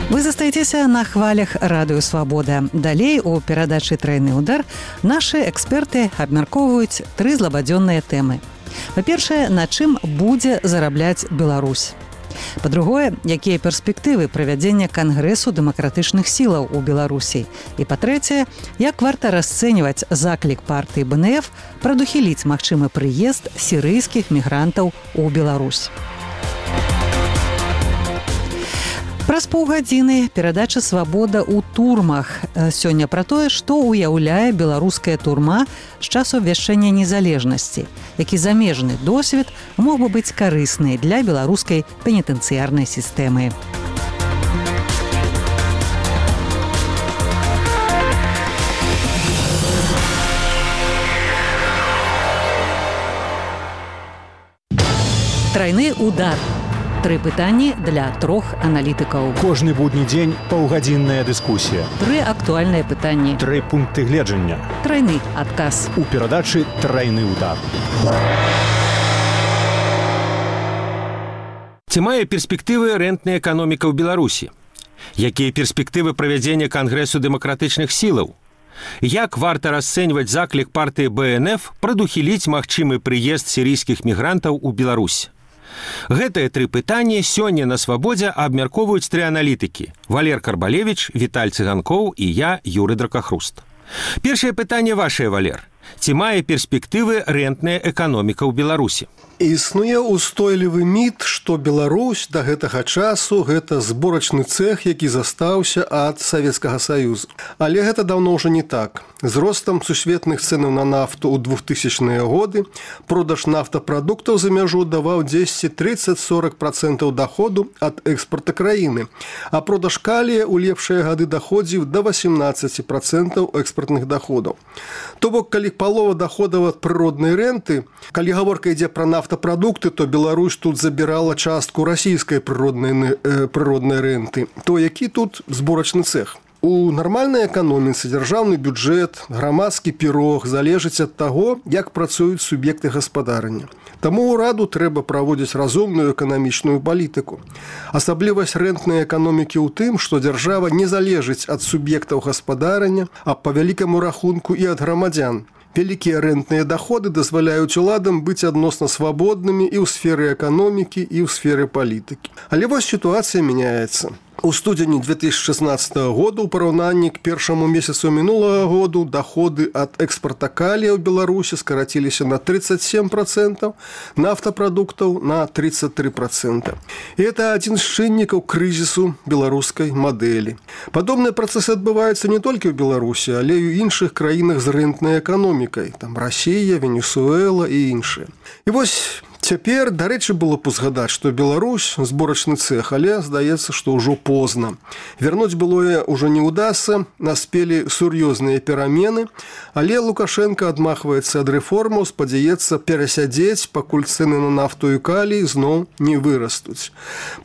Вы застаецеся на хвалях Радыё Свабода. Далей у перадачы «Трайны ўдар» нашы эксперты абмяркоўваюць 3 злабадзённыя тэмы. Па-першае, на чым будзе зарабляць Беларусь. Па-другое, якія перспектывы правядзення Кангрэсу дэмакратычных сілаў у Беларусі. І па-трэцяе, як варта расцэньваць заклік партыі БНФ прадухіліць магчымы прыезд сірыйскіх мігрантаў у Беларусь. Праз паўгадзіны перадача «Свабода ў турмах». Сёння пра тое, што ўяўляе беларуская турма з часу абвяшчэння незалежнасці, які замежны досвед мог бы быць карысны для беларускай пенітэнцыярнай сістэмы. Трайны ўдар. 3 пытанні для 3 аналітыкаў. Кожны будні дзень паўгадзінная дыскусія. 3 актуальныя пытанні. 3 пункты гледжання. Трайны адказ. У перадачы «Трайны ўдар». Ці мае перспектывы рэнтная эканоміка ў Беларусі? Якія перспектывы правядзення Кангрэсу дэмакратычных сілаў? Як варта расцэньваць заклік партыі БНФ прадухіліць магчымы прыезд сірыйскіх мігрантаў у Беларусь? Гэтыя 3 пытанні сёння на «Свабодзе» абмяркоўваюць 3 аналітыкі – Валер Карбалевіч, Віталь Цыганкоў і я, Юры Дракахруст. Першае пытанне вашае, Валер. Ці мае перспектывы рэнтная эканоміка ў Беларусі? Існуе устойлівы міт, што Беларусь да гэтага часу гэта зборачны цэх, які застаўся ад Савецкага Саюзу. Але гэта даўно ўжо не так. З ростам сусветных цэнаў на нафту ў 2000-е годы продаж нафтапрадуктаў за мяжу даваў 10-30-40% даходу ад экспарта краіны, а продаж калія ў лепшыя гады даходзіў да 18% экспартных доходаў. То бок, калі палова доходаў ад прыроднай рэнты, калі гаворка ідзе пра нафтапрадукты, то Беларусь тут забірала частку расійскай прыроднай рэнты. То які тут зборачны цэх? У нармальнай эканоміцы дзяржаўны бюджэт, грамадскі пірог залежыць ад таго, як працуюць суб'екты гаспадарання. Таму ўраду трэба праводзіць разумную эканамічную палітыку. Асаблівасць рэнтнай эканомікі ў тым, што дзяржава не залежыць ад суб'ектаў гаспадарання, а па вялікаму рахунку і ад грамадзян. Вялікія рэнтныя даходы дазваляюць уладам быць адносна свабоднымі і ў сферы эканомікі, і ў сферы палітыкі. Але вось сітуацыя мяняецца. У студзені 2016 года ў параўнанні к першаму месяцу мінулага году даходы ад экспарта калія ў Беларусі скараціліся на 37%, нафтапрадуктаў на 33%. І гэта адзін з чыннікаў крызісу беларускай мадэлі. Падобныя працэсы адбываюцца не толькі ў Беларусі, але і ў іншых краінах з рэнтнай эканомікай, там Расія, Венесуэла і іншыя. І вось цяпер, дарэчы, было б узгадаць, што Беларусь зборачны цэх, але здаецца, што ўжо позна. Вярнуць былое ўжо не ўдасца, наспелі сур'ёзныя перамены, але Лукашенко адмахваецца ад рэформаў, спадзяецца перасядзець, пакуль цэны на нафту і калій зноў не вырастуць.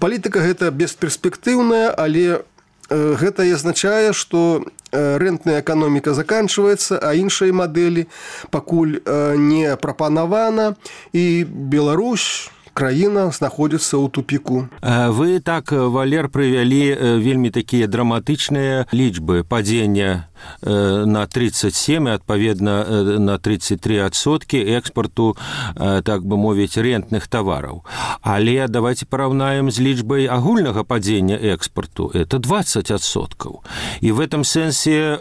Палітыка гэта бесперспектыўная, але гэта і азначае, што рэнтная эканоміка заканчваецца, а іншай мадэлі пакуль не прапанавана, і Беларусь, краіна, знаходзіцца ў тупіку. Вы так, Валер, прывялі вельмі такія драматычныя лічбы падзення на 37, адпаведна на 33% экспарту, так бы мовіць, рэнтных тавараў. Але давайте параўнаем з лічбай агульнага падзення экспарту. Это 20%. І в этом сэнсе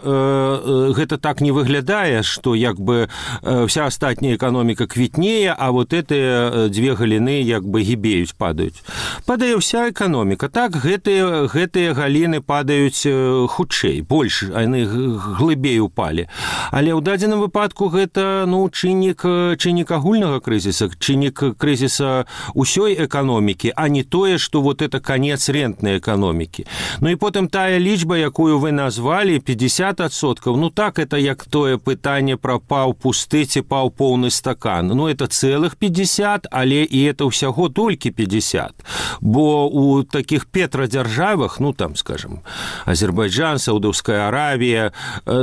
гэта так не выглядае, што як бы вся астатняя эканоміка квітнее, а вот гэтыя 2 галіны як бы гібеюць, падаюць. Падае ўся эканоміка. Так, гэтыя галіны падаюць хутчэй, больш, яны глыбей упалі. Але ў дадзеным выпадку гэта чыннік агульнага крызіса, чыннік крызіса ўсёй эканомікі, а не тое, што вот это канец рэнтнай эканомікі. Ну і потым тая лічба, якую вы назвалі, 50%, так, это як тое пытанне пра паў пусты ці паў поўны стакан. Это цэлых 50, але і это ўсяго толькі 50. Бо у такіх петрадзяржавах, там, скажем, Азербайджан, Саудаўская Аравія,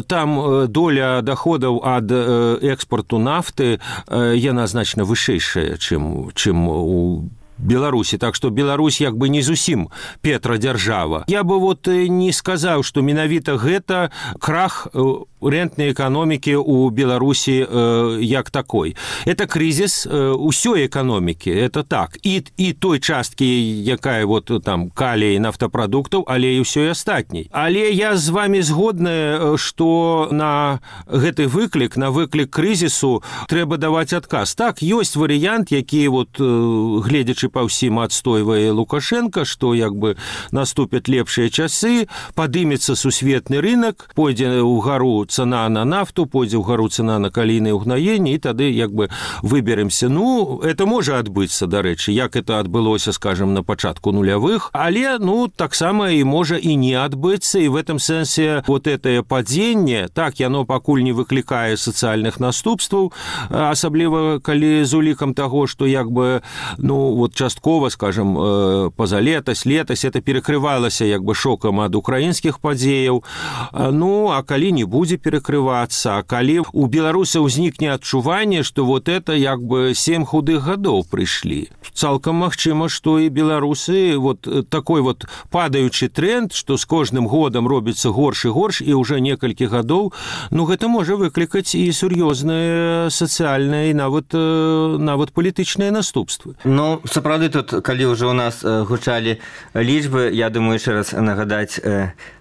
там доля доходаў ад экспорту нафты, яна значна вышэйшая, чым у Беларусі, так што Беларусь як бы не зусім петрадзяржава. Я бы не сказаў, што менавіта гэта крах рэнтнай эканомікі ў Беларусі як такой. Это крызіс усёй эканомікі, это так. І той часткі, якая там калій нафтапрадуктаў, але і ўсёй астатняй. Але я з вами згодная, што на гэты выклік, на выклік крызісу трэба даваць адказ. Так, ёсць варыянт, які гледзячы па ўсім адстойвае Лукашенко, што як бы наступяць лепшыя часы, падымецца сусветны рынок, пойдзе ўгару цана на нафту, пойдзе ўгару цана на калійнае ўгнаенне, і тады як бы выберемся. Это можа адбыцца, дарэчы, як это адбылося, скажем, на пачатку нулявых, але, таксама і можа і не адбыцца, і в этом сэнсе гэтае падзенне, так, яно пакуль не выклікае сацыяльных наступстваў, асабліва калі з улікам таго, што як бы, часткова, скажем, пазалетась, летась, это перакрывалася як бы шокам ад украінскіх падзеяў, а калі не будзе перакрывацца, а калі у беларусаў узнікне адчуванне, што это як бы 7 худых гадоў прыйшлі. Цалкам магчыма, што і беларусы такой падаючы тренд, што з кожным годам робіцца горш і горш, і ўжо некалькі гадоў, гэта можа выклікаць і сур'ёзныя сацыяльныя і нават палітычныя наступствы. Сапраўды тут, калі ўжо у нас гучалі лічбы, я думаю, яшчэ раз нагадаць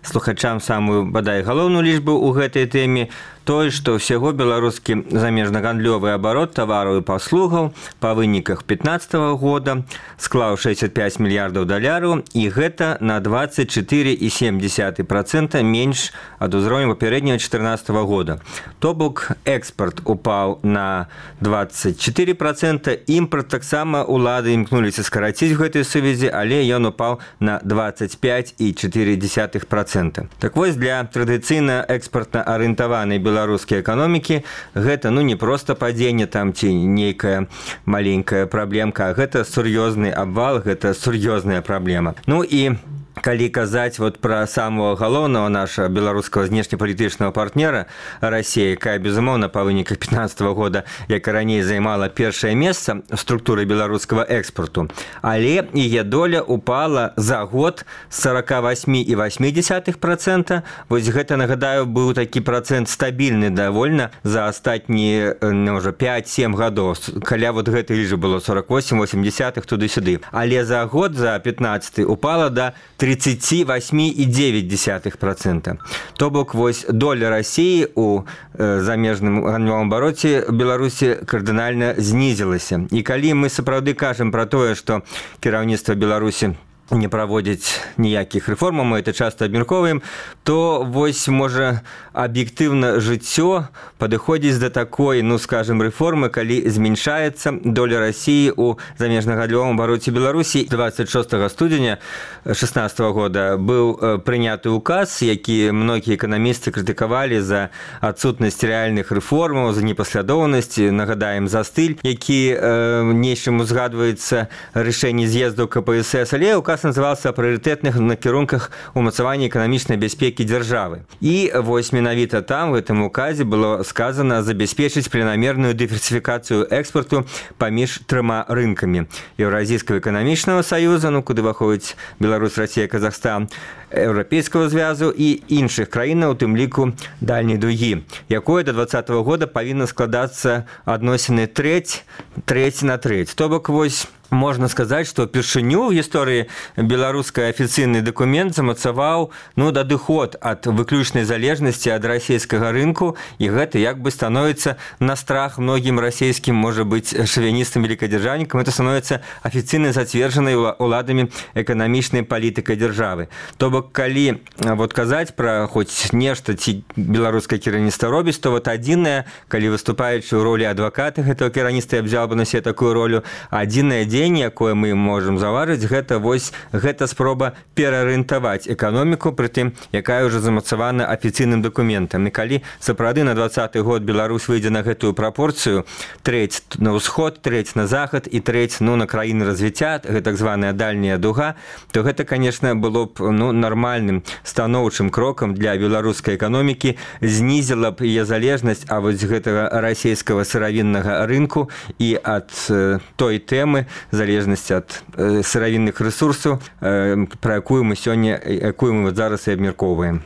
слухачам самую, бадай, галоўную лічбу ў гэтай тэме, тое, што ўсяго беларускі замежнагандлёвы абарот тавараў і паслугаў па выніках 2015 года склаў 65 мільярдаў даляраў, і гэта на 24,7% менш ад узроўню папярэдняга 2014 года. То бок экспарт упаў на 24%, імпарт таксама улады імкнуліся скараціць в гэтай сувязі, але ён упаў на 25,4%. Так вось, для традыцыйна экспартна арыентаванай беларускай эканомікі гэта не проста падзенне там ці нейкая маленькая праблемка, а гэта сур'ёзны абвал, гэта сур'ёзная праблема. І калі казаць пра самого галоўнага нашага беларускага знешнепалітычнага партнера Расія, якая, безумоўна, па выніках 2015 года, як і раней, займала першае месца ў структуры беларускага экспарту, але яе доля упала за год з 48,8%. Вось гэта, нагадаю, быў такі працэнт стабільны давольна за астатнія 5-7 гадоў. Каля гэтай лічбы было 48,8 туды-сюды. Але за год, за 15 упала да 38,9%. То бок, вось доля Расіі у замежным гандлёвым абароце Беларусі кардынальна знізілася. І калі мы сапраўды кажам пра тое, што кіраўніцтва Беларусі не праводзіць ніякіх рэформаў, мы это часта абмяркоўваем, то вось, можа, аб'ектыўна жыццё падыходзіць да такой, скажем, рэформы, калі змяншаецца доля Расіі ў замежнагандлёвым абароце Беларусі. 26 студзеня 2016 года быў прыняты указ, які многія эканамісты крытыкавалі за адсутнасць рэальных рэформаў, за непаслядоўнасць, нагадаем, за стыль, які нечым узгадваецца рашэнне з'езду КПСС, але указ назывался о прыярытэтных накірунках умацавання эканамічнай бяспекі дзяржавы. І вось менавіта там, в этом указе, было сказано забяспечыць планамерную дыверсіфікацыю экспарту паміж 3 рынкамі: Еўразійскага эканамічнага саюза, куды ўваходзіць Беларусь, Расія, Казахстан, Еўрапейскага звязу і іншых краінаў, у тым ліку дальняй дугі, якое до 2020 года павінна складацца адносіны трэць на трэць. То бок, вось, можна сказаць, што упершыню ў гісторыі беларускай афіцыйны дакумент замацаваў дадыход ад выключнай залежнасці ад расійскага рынку, і гэта як бы становіцца на страх многім расійскім, можа быць, шавіністам, великадзяржаўнікам, это становіцца афіцыйна зацверджанай уладамі эканамічнай палітыкай дзяржавы. То бок, калі казаць пра хоць нешта ці беларускае кіраўніцтва робіць, то адзінае, калі выступаючы ў ролі адваката гэтага кіраўніцтва, я взял бы на себе такую ролю, адзінае якое мы можам заўважыць, гэта спроба пераарыентаваць эканоміку, прытым, якая ўжо замацавана афіцыйным дакументам. І калі сапраўды на 2020 год Беларусь выйдзе на гэтую прапорцыю, трэць на ўсход, трэць на захад і трэць на краіны развіцця, гэта так званая дальняя дуга, то гэта, конечно, было б нармальным станоўчым крокам для беларускай эканомікі, знізіла б яе залежнасць ад вось гэтага расійскага сыравіннага рынку і ад той тэмы залежнасці ад сыравінных рэсурсаў, пра якую мы зараз і абмяркоўваем.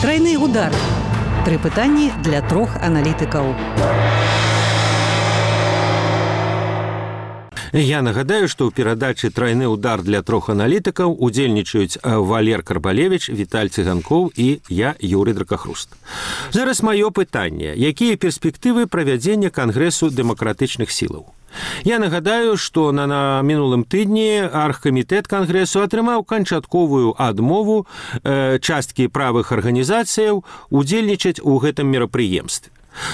Трайны удар. 3 пытанні для 3 аналітыкаў. Я нагадаю, што ў перадачы «Трайны удар» для 3 аналітыкаў удзельнічаюць Валер Карбалевіч, Віталь Цыганкоў і я, Юрый Дракахруст. Зараз маё пытанне. Якія перспектывы правядзення Кангрэсу дэмакратычных сілаў? Я нагадаю, што на мінулым тыдні аргкамітэт Кангрэсу атрымаў канчатковую адмову часткі правых арганізацыяў удзельнічаць у гэтым мерапрыемстве.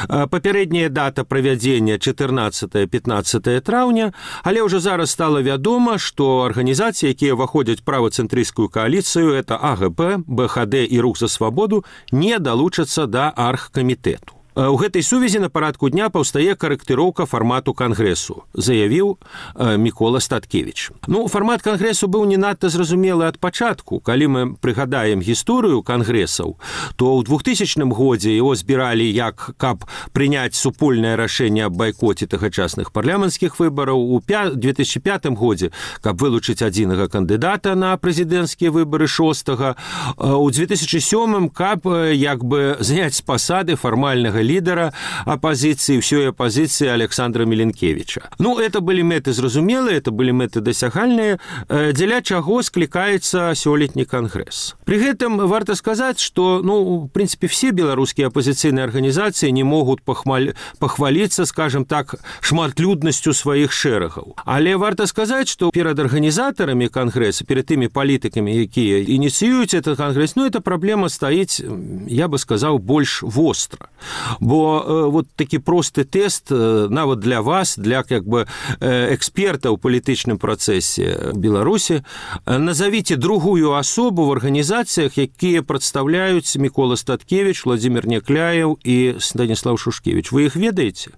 Папярэдняя дата правядзення 14-15 траўня, але ўжо зараз стала вядома, што арганізацыі, якія ўваходзяць правацэнтрысцкую кааліцыю, это АГП, БХД і Рух за свабоду, не далучацца да аргкамітэту. У гэтай сувязі на парадку дня паўстае карэктыроўка фармату Кангрэсу, заявіў Мікола Статкевіч. Фармат Кангрэсу быў не надта зразумелы ад пачатку. Калі мы прыгадаем гісторыю Кангрэсаў, то ў 2000 годзе яго збіралі як каб прыняць супольнае рашэнне аб байкоце тагачасных парламенцкіх выбараў, у 2005 годзе каб вылучыць адзінага кандыдата на прэзідэнцкія выбары 6-га, у 2007 каб як бы зняць з пасады фармальнага лідара апозіцыі, ўсёй апозіцыі Александра Міленкевіча. Это былі мэты зразумелыя, это былі мэты дасягальныя, дзеля чаго склікаецца сёлетні кангрэс. Пры гэтым варта сказаць, што, в прынцыпе, все беларускія апозіцыйныя арганізацыі не могуць пахваліцца, скажем так, шматлюднасцю сваіх шэрагаў. Але варта сказаць, што перад арганізатарамі кангрэса, перад тымі палітыкамі, якія ініцыююць этот кангрэс, эта праблема стаіць, я бы сказаў, больш востра. Бо вот такі просты тэст нават для вас, для как бы эксперта ў палітычным працэсе Беларусі, назовіце другую асобу в арганізацыях, якія прадстаўляюць Мікола Статкевіч, Владимир Някляев і Станіслав Шушкевич. Вы іх ведаеце?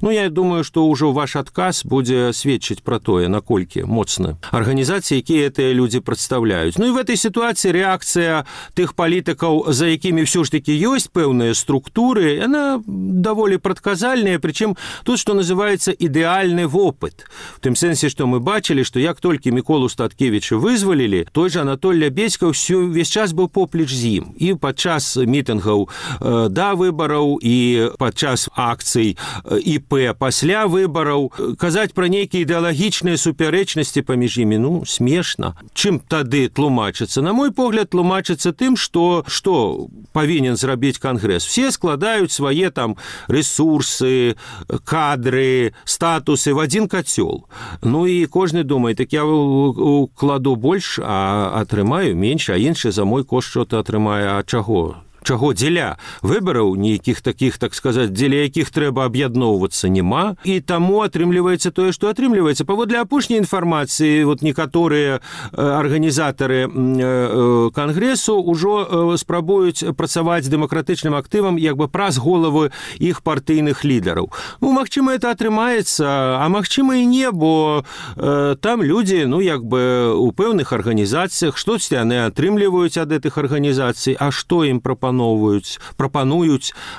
Я думаю, што ўжо ваш адказ будзе сведчыць пра тое, наколькі моцна арганізацыі, якія гэтыя людзі прадстаўляюць. І в этой сітуацыі рэакцыя тых палітыкаў, за якімі ўсё ж такі ёсць пэўныя структуры, она даволі прадказальная, прычым тут, што называецца ідэальны вопыт. В тым сэнсе, што мы бачылі, што як толькі Міколу Статкевіча вызвалілі, той жа Анатоль Лябедзька ўвесь час быў поплеч з ім. І падчас мітынгаў да выбараў, і падчас акцый ІП пасля выбараў. Казаць пра нейкія ідэалагічныя супярэчнасці паміж імі, смешна. Чым тады тлумачыцца? На мой погляд, тлумачыцца тым, што павінен зрабіць кангрэс. Все складаюць свае там ресурсы, кадры, статусы в один котел. І кожны думае, так я укладу больш, а атрымаю менш, а іншы за мой кошт што-то атрымае. А чаго? Дзеля выбараў нейкіх такіх, так сказаць, дзеля якіх трэба аб'ядноўвацца няма, і таму атрымліваецца тое, што атрымліваецца. Паводле апошняй інфармацыі, некаторыя арганізатары кангрэсу ўжо спрабуюць працаваць з дэмакратычным актывам як бы праз головы іх партыйных лідараў. Магчыма, это атрымаецца, а магчыма і не, бо там людзі, як бы у пэўных арганізацыях, штосьці яны атрымліваюць ад гэтых арганізацый, а што ім прапануюць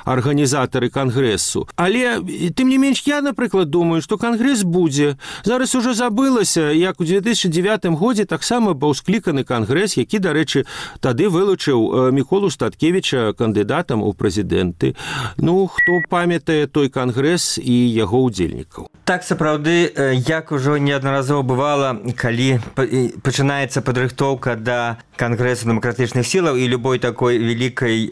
арганізатары кангрэсу. Але, тым не менш, я, напрыклад, думаю, што кангрэс будзе. Зараз ужо забылася, як у 2009 годзе таксама быў скліканы кангрэс, які, дарэчы, тады вылучыў Міколу Статкевіча кандыдатам у прэзідэнты. Хто памятае той кангрэс і яго ўдзельнікаў? Так, сапраўды, як ужо неаднаразова бывала, калі пачынаецца падрыхтоўка да кангрэсу дэмакратычных сілаў і любой такой вялікай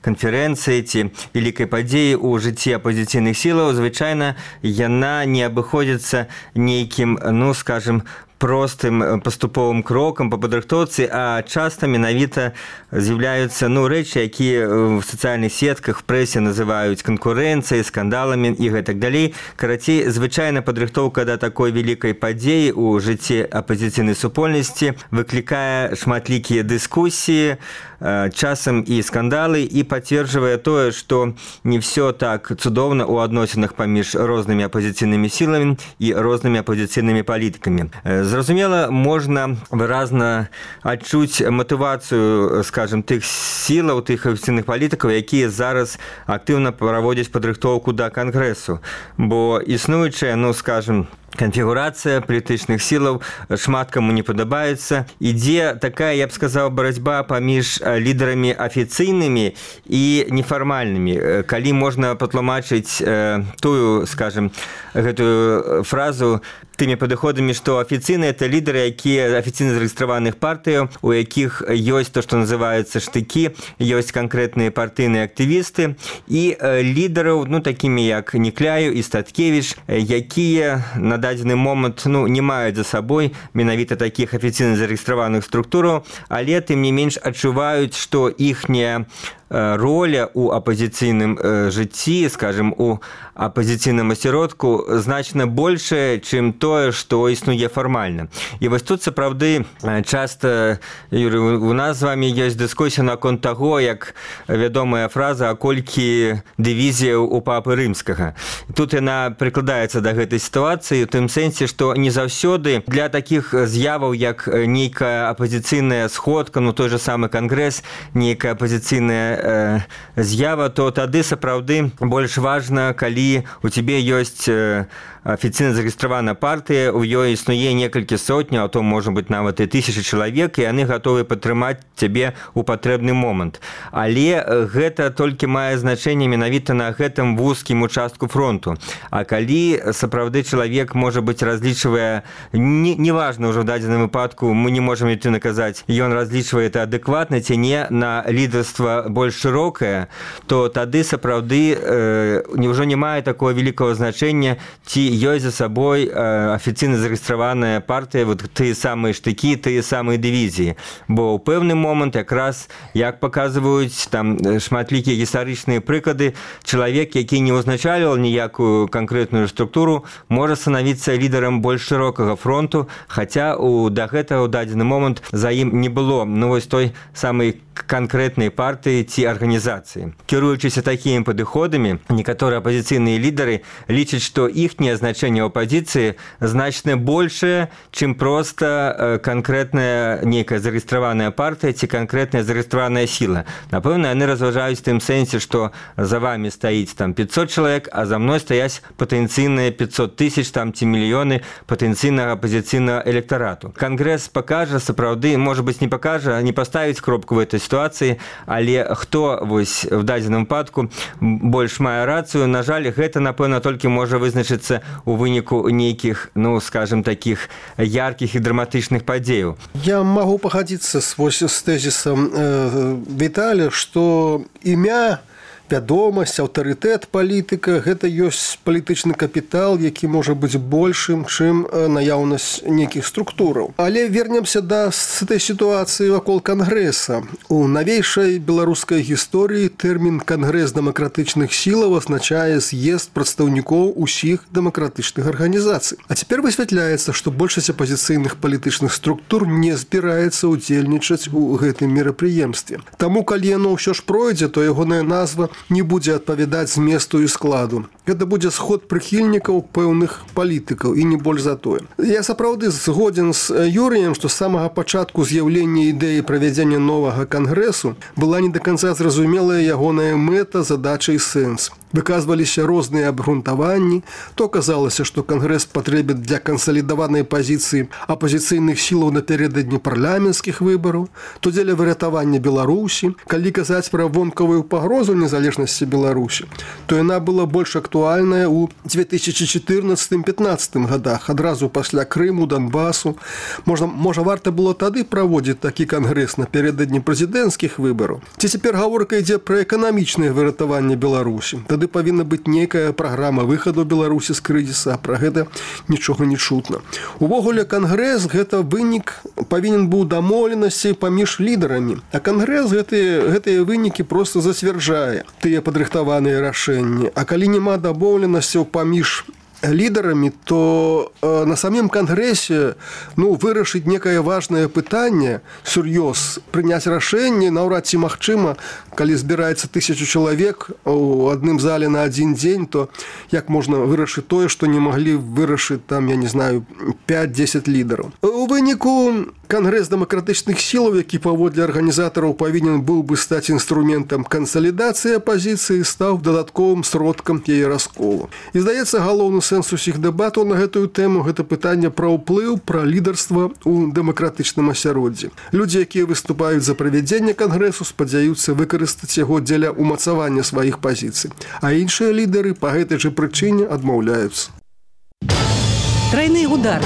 канферэнцыі ці вялікай падзеі ў жыцці апозіцыйных сілаў, звычайна яна не абыходзіцца нейкім, скажем, простым паступовым крокам па падрыхтоўцы, а часта менавіта з'яўляюцца рэчы, якія в сацыяльных сетках, прэсе называюць канкурэнцыяй, скандаламі і гэтак далей. Карацей, звычайна падрыхтоўка да такой вялікай падзеі ў жыцці апозіцыйнай супольнасці выклікае шматлікія дыскусіі, часам і скандалы, і пацверджвае тое, што не ўсё так цудоўна ў адносінах паміж рознымі апозіцыйнымі сіламі і рознымі апозіцыйнымі палітыкамі. З Зразумела, можна выразна адчуць матывацыю, скажем, тых сілаў, тых афіцыйных палітыкаў, якія зараз актыўна праводзяць падрыхтоўку да кангрэсу. Бо існуючая, скажем, конфігурацыя палітычных сілаў шмат каму не падабаецца. Ідзе такая, я б сказаў, барацьба паміж лідарамі афіцыйнымі і нефармальнымі. Калі можна патлумачыць тую, скажем, гэтую фразу тымі падыходамі, што афіцыйныя — это лідары, якія афіцыйна зарэгістраваных партыяў, у якіх ёсць то, што называецца штыкі, ёсць канкрэтныя партыйныя актывісты, і лідараў, такімі як Некляю і Статкевіч, якія на дадзены момант не маюць за сабой менавіта такіх афіцыйна зарэгістраваных структураў, але тым не менш адчуваюць, што іхняя роля у апозіцыйным жыцці, скажем, у апозіцыйным асяродку значна большая, чым тое, што існуе фармальна. І вось тут сапраўды часта, Юрый, у нас з вами ёсць дыскусія наконт таго, як вядомая фраза, а колькі дывізіяў у папы рымскага. Тут яна прыкладаецца да гэтай сітуацыі у тым сэнсе, што не заўсёды для такіх з'яваў, як нейкая апозіцыйная сходка, той же самы кангрэс, нейкая апозіцыйная з'ява, то тады сапраўды больш важна, калі у цябе ёсць афіцыйна зарэгістраваная партыя, у ёй існуе некалькі сотняў, а то можа быць нават і 1000 чалавек, і яны гатовы падтрымаць цябе ў патрэбны момант. Але гэта толькі мае значэнне менавіта на гэтым вузкім участку фронту. А калі сапраўды чалавек, можа быць, разлічвае, неважна ўжо ў дадзеным выпадку, мы не можам ідти наказаць, ён разлічвае это адэкватна ці не на лідарства больш шырокае, то тады сапраўды ўжо не мае такого вялікага значэння, ці ёсць за сабой афіцыйна зарэгістраваная партыя, тыя самыя штыкі, тыя самыя дывізіі. Бо ў пэўны момант, якраз, як паказваюць там шматлікія гістарычныя прыклады, чалавек, які не ўзначальваў ніякую канкрэтную структуру, можа станавіцца лідарам больш шырокага фронту, хаця да гэтага ў дадзены момант за ім не было вось той самай канкрэтнай партыі ці арганізацыі. Кіруючыся такімі падыходамі, некаторыя апозіцыйныя лідары лічаць, што іхняе значэнне ў апозіцыі значна большае, чым проста канкрэтная нейкая зарэгістраваная партыя ці канкрэтная зарэгістраваная сіла. Напэўна, яны разважаюць в тым сэнсе, што за вами стаіць там 500 чалавек, а за мной стаяць патэнцыйныя 500 000 там ці мільёны патэнцыйнага апозіцыйнага электарату. Кангрэс пакажа, сапраўды, можа быць, не пакажа, не паставіць кропку в этой сітуацыі, але хто вось в дадзеным выпадку больш мае рацыю, на жаль, гэта, напэўна, толькі можа вызначыцца у выніку нейкіх, скажем, такіх яркіх і драматычных падзеяў. Я магу пагадзіцца з тэзісам Віталя, што імя, вядомасць, аўтарытэт палітыка — гэта ёсць палітычны капітал, які можа быць большым, чым наяўнасць нейкіх структураў. Але вернемся да этой сітуацыі вакол кангрэса. У навейшай беларускай гісторыі тэрмін «кангрэс дэмакратычных сілаў» азначае з'езд прадстаўнікоў усіх дэмакратычных арганізацый. А цяпер высвятляецца, што большасць апазіцыйных палітычных структур не збіраецца ўдзельнічаць у гэтым мерапрыемстве. Таму, калі яно ўсё ж пройдзе, то ягоная назва не будзе адпавядаць зместу і складу. Гэта будзе сход прыхільнікаў пэўных палітыкаў і не больш за тое. Я сапраўды згодзін з Юрыем, што з самага пачатку з'яўлення ідэі правядзення новага кангрэсу была не да канца зразумелая ягоная мэта, задача і сэнс. Выказваліся розныя абгрунтаванні, то казалася, што кангрэс патрэбен для кансалідаванай пазіцыі апозіцыйных сілаў напярэдадні парламенцкіх выбараў, то дзеля выратавання Беларусі. Калі казаць пра вонкавую пагрозу незалежнасці Беларусі, то яна была больш актуальная ў 2014-15 годах, адразу пасля Крыму, Донбасу. Можа, варта было тады праводзіць такі кангрэс напярэдадні прэзідэнцкіх выбараў. Ці цяпер гаворка ідзе пра эканамічнае выратаванне Беларусі. Тады павінна быць нейкая праграма выхаду Беларусі з крызіса, а пра гэта нічога не чутна. Увогуле, кангрэс — гэта вынік павінен быў дамоўленасці паміж лідарамі, а кангрэс гэтыя вынікі проста зацвярджае тыя падрыхтаваныя рашэнні. А калі няма дамоўленасцяў паміж лідарамі, то на самім кангрэсе вырашыць некае важнае пытанне, сур'ёз, прыняць рашэнне наўрад ці магчыма, калі збіраецца 1000 чалавек у адным зале на адзін дзень, то як можна вырашыць тое, што не маглі вырашыць там, я не знаю, 5-10 лідараў. У выніку Кангрэс дэмакратычных сілаў, які паводле арганізатараў павінен быў бы стаць інструментам кансалідацыі апазіцыі, стаў дадатковым сродкам яе расколу. І, здаецца, галоўны сэнс усіх дэбатаў на гэтую тэму – гэта пытанне пра ўплыў, пра лідарства ў дэмакратычным асяроддзі. Людзі, якія выступаюць за правядзенне кангрэсу, спадзяюцца выкарыстаць яго дзеля ўмацавання сваіх пазіцый. А іншыя лідары па гэтай жа прычыне адмаўляюцца. Трайны удар.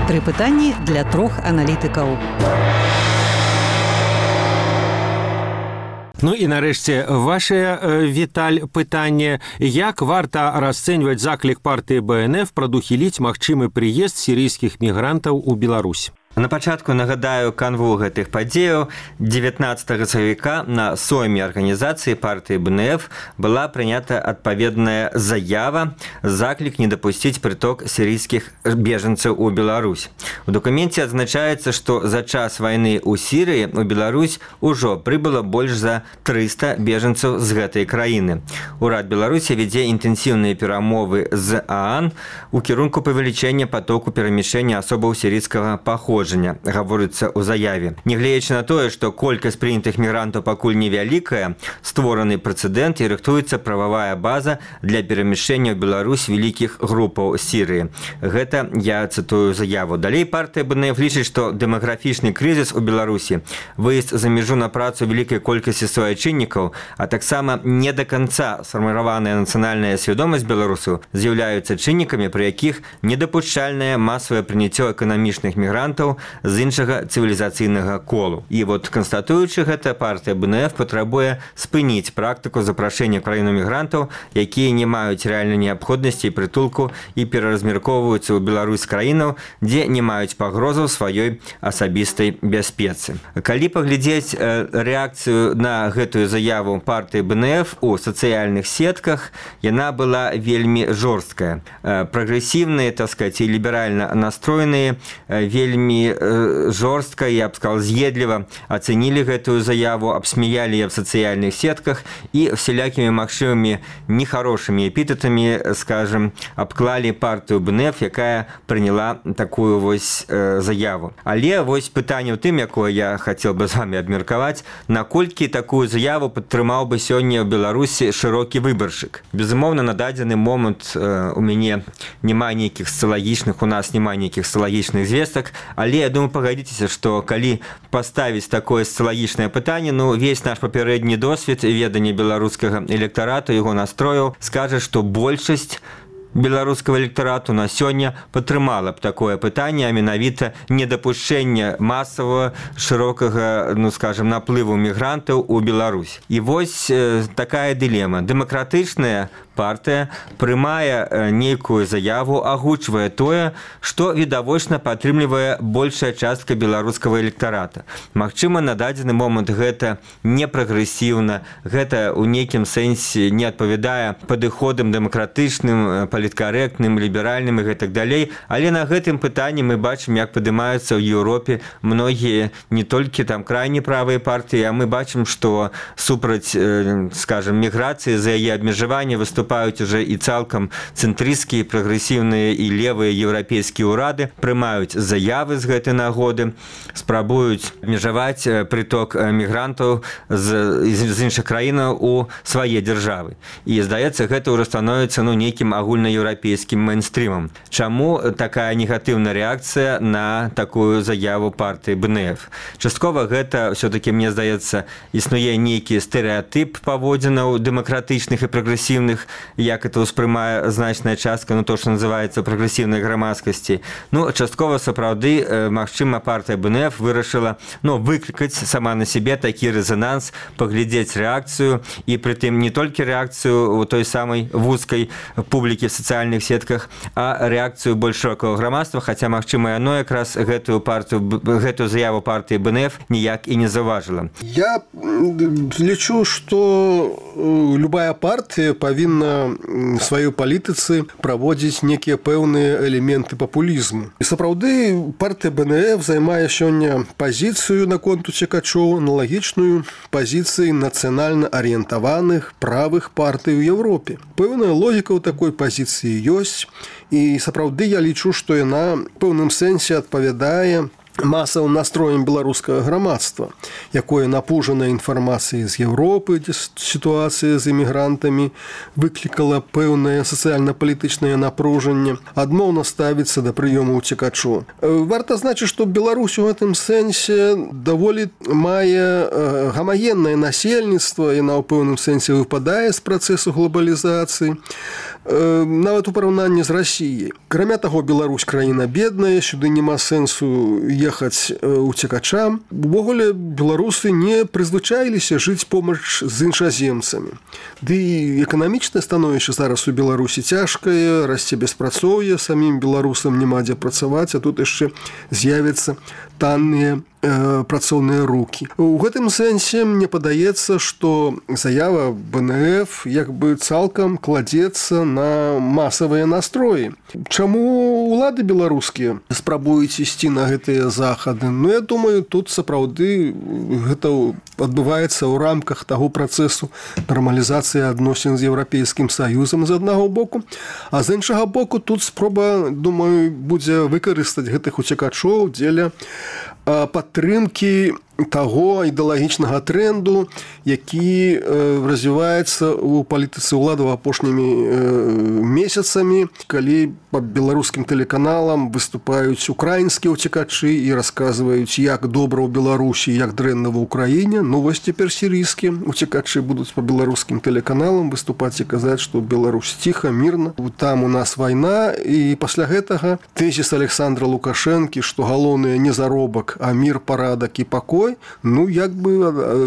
3 пытанні для 3 аналітыкаў. І нарэшце ваша, Віталь, пытанне. Як варта расцэньваць заклік партыі БНФ прадухіліць магчымы прыезд сірыйскіх мігрантаў у Беларусь? На пачатку нагадаю канву гэтых падзеяў. 19 сакавіка на сойме арганізацыі партыі БНФ была прынята адпаведная заява, заклік не дапусціць прыток сірыйскіх бежанцаў у Беларусь. У дакуменце адзначаецца, што за час вайны ў Сірыі у Беларусь ужо прыбыла больш за 300 бежанцаў з гэтай краіны. Урад Беларусі вядзе інтэнсіўныя перамовы з ААН у кірунку павелічэння патоку перамяшчэння асобаў сірыйскага паходжання, гаворыцца ў заяве. Нягледзячы на тое, што колькасць прынятых мігрантаў пакуль невялікая, створаны прэцэдэнт і рыхтуецца прававая база для перамяшчэння ў Беларусь вялікіх групаў Сірыі. Гэта я цытую заяву. Далей партыя БНФ лічыць, што дэмаграфічны крызіс у Беларусі, выезд за мяжу на працу вялікай колькасці суайчыннікаў, а таксама не да канца сфарміраваная нацыянальная свядомасць беларусаў з'яўляюцца чыннікамі, пры якіх недапушчальнае масавае прыняццё эканамічных мігрантаў з іншага цывілізацыйнага колу. І канстатуючы гэта, партыя БНФ патрабуе спыніць практыку запрашэння краіну мігрантаў, якія не маюць рэальнай неабходнасці і прытулку і пераразмяркоўваюцца ў Беларусь краінаў, дзе не маюць пагрозаў сваёй асабістай бяспецы. Калі паглядзець рэакцыю на гэтую заяву партыі БНФ у сацыяльных сетках, яна была вельмі жорсткая. Прагрэсіўныя, так сказаць, і ліберальна настроеныя вельмі жорстка, я б сказал, з'едліва ацэнілі гэтую заяву, абсмяялі яе в сацыяльных сетках і всялякімі магчымымі нехарошымі эпітэтамі, скажем, абклалі партыю БНФ, якая прыняла такую заяву. Але пытанне ў тым, якое я хацеў бы з вами абмеркаваць, наколькі такую заяву падтрымаў бы сёння ў Беларусі шырокі выбаршчык. Безумоўна, на дадзены момант у мяне няма нейкіх социалагічных, у нас няма нейкіх социалагічных звестак, але я думаю, пагадзіцеся, што калі паставіць такое социалагічнае пытанне, весь наш папярэдні досвед ведання беларускага электарату, яго настрояў, скажа, што большасць беларускага электарату на сёння падтрымала б такое пытанне, а менавіта недапушчэнне масавага шырокага, скажем, наплыву мігрантаў у Беларусь. І такая дылема. Дэмакратычная партыя прымае нейкую заяву, агучвае тое, што відавочна падтрымлівае большая частка беларускага электарата. Магчыма, на дадзены момант гэта не прагрэсіўна, гэта ў нейкім сэнсе не адпавядае падыходам дэмакратычным, паліткарэктным, ліберальным і гэтак далей, але на гэтым пытанні мы бачым, як падымаюцца ў Еўропе многія не толькі там крайне правыя партыі, а мы бачым, што супраць, скажем, міграцыі, за яе абмежаванне выступаюць уже і цалкам цэнтрысцкія, прагрэсіўныя і левыя еўрапейскія ўрады, прымаюць заявы з гэтай нагоды, спрабуюць абмежаваць прыток мігрантаў з іншых краінаў у свае дзяржавы. І, здаецца, гэта ўжо становіцца нейкім агульнаеўрапейскім мейнстрімам. Чаму такая негатыўная рэакцыя на такую заяву партыі БНФ? Часткова гэта, все-таки, мне здаецца, існуе нейкі стэрэатып паводзінаў дэмакратычных і прагрэсіўных, як это ўспрымае значная частка, то, што называецца прагрэсіўнай грамадскасці. Часткова, сапраўды, магчыма, партыя БНФ вырашыла выклікаць сама на сябе такі рэзананс, паглядзець рэакцыю, і прытым не толькі рэакцыю у той самай вузкай публікі в сацыяльных сетках, а рэакцыю больш шырокага грамадства, хаця, магчыма, яно якраз гэтую заяву партыі БНФ ніяк і не заўважыла. Я лічу, што любая партыя павінна в сваёй палітыцы праводзіць некія пэўныя элементы папулізму. І сапраўды партыя БНФ займае сёння пазіцыю наконт уцекачоў, аналагічную пазіцыі нацыянальна арыентаваных правых партый у Европе. Пэўная логіка ў такой пазіцыі ёсць, і сапраўды я лічу, што яна ў пэўным сэнсе адпавядае масавым настроем беларускага грамадства, якое напужана інфармацыяй з Европы, дзе сітуацыя з эмігрантамі выклікала пэўнае сацыяльна-палітычнае напружанне, адмоўна ставіцца да прыёму ўцекачоў. Варта значыць, што Беларусь у гэтым сэнсе даволі мае гамагеннае насельніцтва, яна ў пэўным сэнсе выпадае з працэсу глобалізацыі, нават у параўнанні з Расіяй. Акрамя таго, Беларусь краіна бедная, сюды няма сэнсу ехаць уцекачам. Увогуле, беларусы не прызвычаіліся жыць помач з іншаземцамі. Ды і эканамічнае становішча зараз у Беларусі цяжкае, расце беспрацоўе, самім беларусам няма дзе працаваць, а тут яшчэ з'явяцца танныя працоўныя рукі. У гэтым сэнсе мне падаецца, што заява БНФ як бы цалкам кладзецца на масавыя настроі. Чаму улады беларускія спрабуюць ісці на гэтыя захады? Ну, я думаю, тут сапраўды гэта адбываецца ў рамках таго працэсу нармалізацыі адносін з Еўрапейскім Саюзам з аднаго боку, а з іншага боку тут спроба, думаю, будзе выкарыстаць гэтых уцекачоў дзеля падтрымкі таго ідэалагічнага тренду, які развіваецца ў палітыцы ўладаў апошнімі месяцамі, калі па беларускім тэлеканалам выступаюць украінскія ўцекачы і расказваюць, як добра ў Беларусі, як дрэнна ва ўкраіне. Ну, вось цяпер сірыйскія ўцекачы будуць па беларускім тэлеканалам выступаць і казаць, што Беларусь ціха, мірна, там у нас вайна, і пасля гэтага тэзіс Александра Лукашэнкі, што галоўнае не заробак, а мір, парадак і пакой, ну, як бы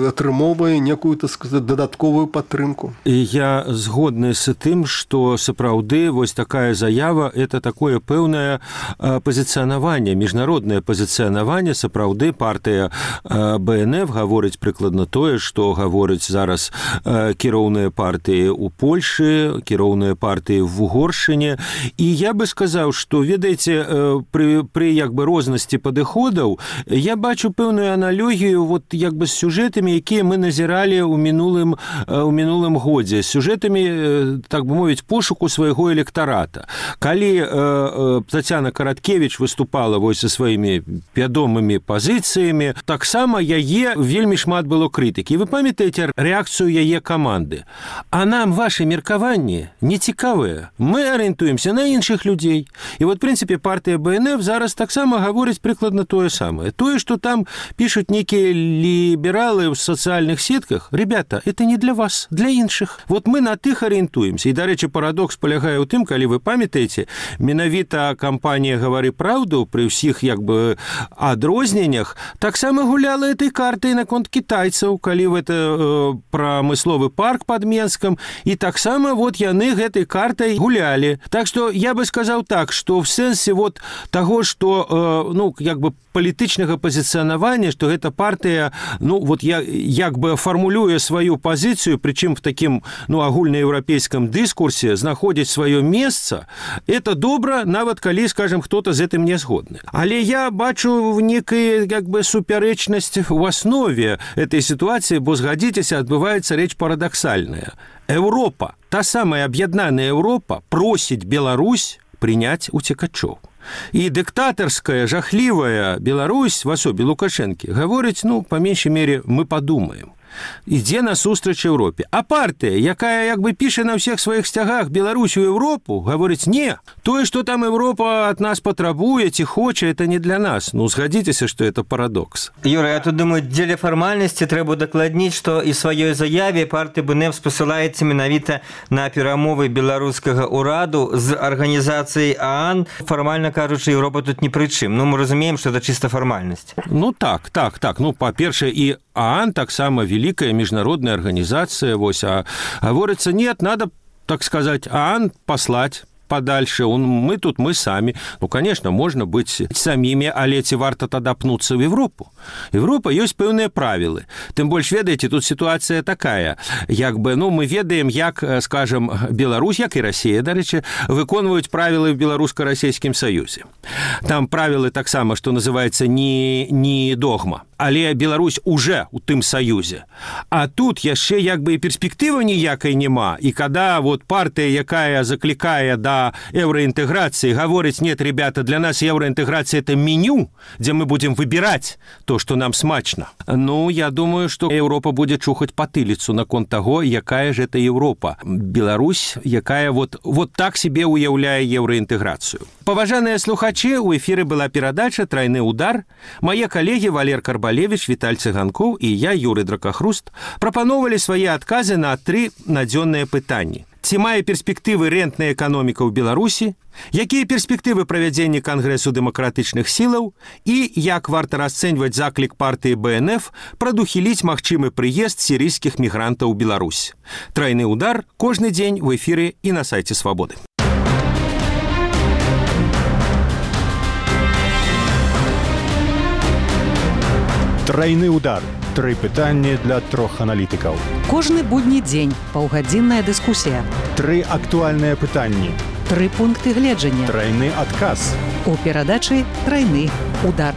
атрымоўвае некую, так сказаць, дадатковую падтрымку. Я згодны з тым, што сапраўды вось такая заява – это такое пэўнае пазіцыянаванне, міжнароднае пазіцыянаванне. Сапраўды партыя БНФ гаворыць прыкладна тое, што гаворыць зараз кіроўныя партыі ў Польшы, кіроўныя партыі в Угоршыне. І я бы сказаў, што, ведаеце, пры як бы рознасці падыходаў я бачу пэўную аналогію вот як бы з сюжэтамі, якія мы назіралі ў мінулым годзе, з сюжэтамі, так бы мовіць, пошуку свайго электарата. Калі Тацяна Караткевіч выступала вось са сваімі вядомымі пазіцыямі, таксама яе вельмі шмат было крытыкі. Вы памятаеце рэакцыю яе каманды? А нам ваши меркаванні не цікавыя. Мы арыентуемся на іншых людзей. І вот, в прынцыпе, партыя БНФ зараз таксама гаворыць прыкладна тое самае. Тое, што там пишут некие либералы в социальных сетках, ребята, это не для вас, для іншых. Вот мы на тых арыентуемся. І, дарэчы, парадокс палягае ў тым, калі вы памятаеце, менавіта кампанія «Гавары праўду» пры ўсіх як бы адрозненнях таксама гуляла этой картай наконт кітайцаў, калі гэта прамысловы парк пад Менскам, і таксама вот яны гэтай картай гулялі. Так што я бы сказаў так, што в сэнсе вот таго, што ну, як бы палітычнага пазіцыянавання, што гэта партыя, ну, вот як бы фармулюе сваю пазіцыю, прычым в такім, ну, агульнаеўрапейскім дыскурсе знаходзіць сваё месца, это добра, нават калі, скажем, хто-то з гэтым не згодны. Але я бачу некую, як бы, супярэчнасць в основе этой ситуации, бо, згадзіцеся, адбываецца рэч парадаксальная. Европа, та самая аб'яднаная Европа, просіць Беларусь прыняць уцекачоў. І дыктатарская, жахлівая Беларусь в асобе Лукашэнкі гаворыць, ну, па меншай мере, мы падумаем. Ідзе насустрач Европе. А партыя, якая як бы піша на ўсіх сваіх сцягах Беларусь у Европу, гаворыць, не, тое, што там Европа ад нас патрабуе ці хоча, это не для нас. Ну, згадзіцеся, што это парадокс. Юра, я тут думаю, дзеля фармальнасці трэба дакладніць, што і сваёй заяве партыя БНФ спасылаецца менавіта на перамовы беларускага ўраду з арганізацыяй ААН. Фармальна кажучы, Европа тут ні пры чым. Ну, мы разумеем, што это чыста фармальнасць. Ну, так. Ну, па-першае, і ААН таксама великая международная организация, а говорится, нет, надо, так сказать, ААН послать подальше, мы тут, мы сами. Ну, конечно, можно быть самими, але ці варта тады апнуцца в Европу. Европа ёсць пэўныя правілы. Тым больш, ведаеце, тут ситуация такая, як бы, мы ведаем, як, скажем, Беларусь, як і Россия, дарэчы, выконваюць правілы в Беларуска-Расійскім Саюзе. Там правілы таксама, што называецца не догма. Але Беларусь уже у тым саюзе. А тут яшчэ як бы і перспектывы ніякай няма. І когда вот партия, якая закликая до евроинтеграции, говорит: нет, ребята, для нас евроинтеграция это меню, где мы будем выбирать то, что нам смачно. Я думаю, что Европа будет чухать потылицу наконт того, якая же это Европа. Беларусь, якая вот так себе уяўляе евроинтеграцию. Паважаныя слухачы, у эфире была перадача «Тройны удар». Мои коллеги Валер Карбалевич, Віталь Цыганкоў и я, Юрий Дракахруст, прапановали свои отказы на 3 надзённыя пытанні. Ці мае перспектывы рэнтная эканоміка ў Беларусі, якія перспектывы правядзення Кангрэсу дэмакратычных сілаў і як варта расцэньваць заклік партыі БНФ прадухіліць магчымы прыезд сірыйскіх мігрантаў у Беларусь. «Тройны удар» кожны дзень в эфире и на сайте Свободы. Тройны удар. 3 пытанні для 3 аналітыкаў. Кожны будні дзень паўгадзінная дыскусія. 3 актуальныя пытанні. 3 пункты гледжання. Тройны адказ. У перадачы «Тройны удар».